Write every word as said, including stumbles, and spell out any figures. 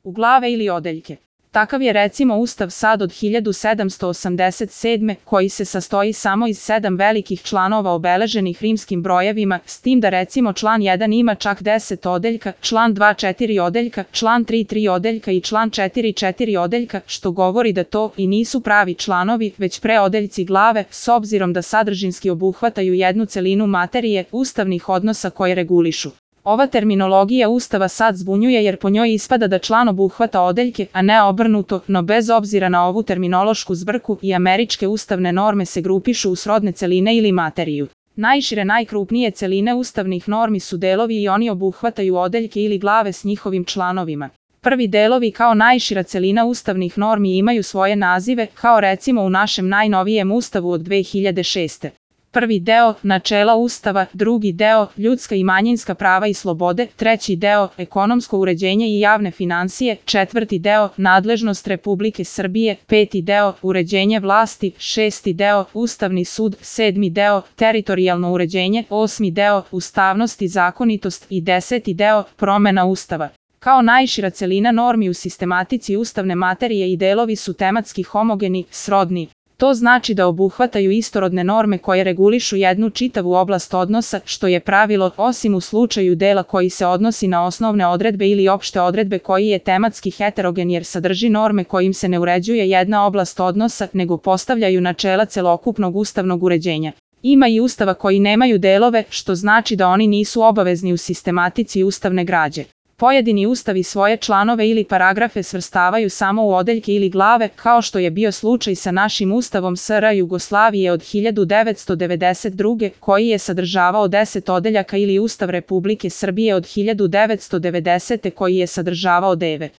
u glave ili odeljke. Takav je recimo Ustav SAD od hiljadu sedamsto osamdeset sedme. koji se sastoji samo iz sedam velikih članova obeleženih rimskim brojevima, s tim da recimo član jedan ima čak deset odeljka, član dva četiri odeljka, član tri tri odeljka i član četiri četiri odeljka, što govori da to i nisu pravi članovi, već preodeljci glave, s obzirom da sadržinski obuhvataju jednu celinu materije, ustavnih odnosa koje regulišu. Ova terminologija Ustava SAD zbunjuje jer po njoj ispada da član obuhvata odeljke, a ne obrnuto, no bez obzira na ovu terminološku zbrku i američke ustavne norme se grupišu u srodne celine ili materiju. Najšire najkrupnije celine ustavnih normi su delovi i oni obuhvataju odeljke ili glave s njihovim članovima. Prvi delovi kao najšira celina ustavnih normi imaju svoje nazive, kao recimo u našem najnovijem Ustavu od dve hiljade šeste. Prvi deo, načela Ustava, drugi deo, ljudska i manjinska prava i slobode, treći deo, ekonomsko uređenje i javne finansije, četvrti deo, nadležnost Republike Srbije, peti deo, uređenje vlasti, šesti deo, Ustavni sud, sedmi deo, teritorijalno uređenje, osmi deo, ustavnost i zakonitost i deseti deo, promena Ustava. Kao najšira celina normi u sistematici ustavne materije i delovi su tematski homogeni, srodni. To znači da obuhvataju istorodne norme koje regulišu jednu čitavu oblast odnosa, što je pravilo, osim u slučaju dela koji se odnosi na osnovne odredbe ili opšte odredbe koji je tematski heterogen jer sadrži norme kojim se ne uređuje jedna oblast odnosa, nego postavljaju načela celokupnog ustavnog uređenja. Ima i ustava koji nemaju delove, što znači da oni nisu obavezni u sistematici ustavne građe. Pojedini ustavi svoje članove ili paragrafe svrstavaju samo u odeljke ili glave, kao što je bio slučaj sa našim Ustavom S R Jugoslavije od hiljadu devetsto devedeset druge. koji je sadržavao deset odeljaka ili Ustav Republike Srbije od hiljadu devetsto devedesete. koji je sadržavao devet.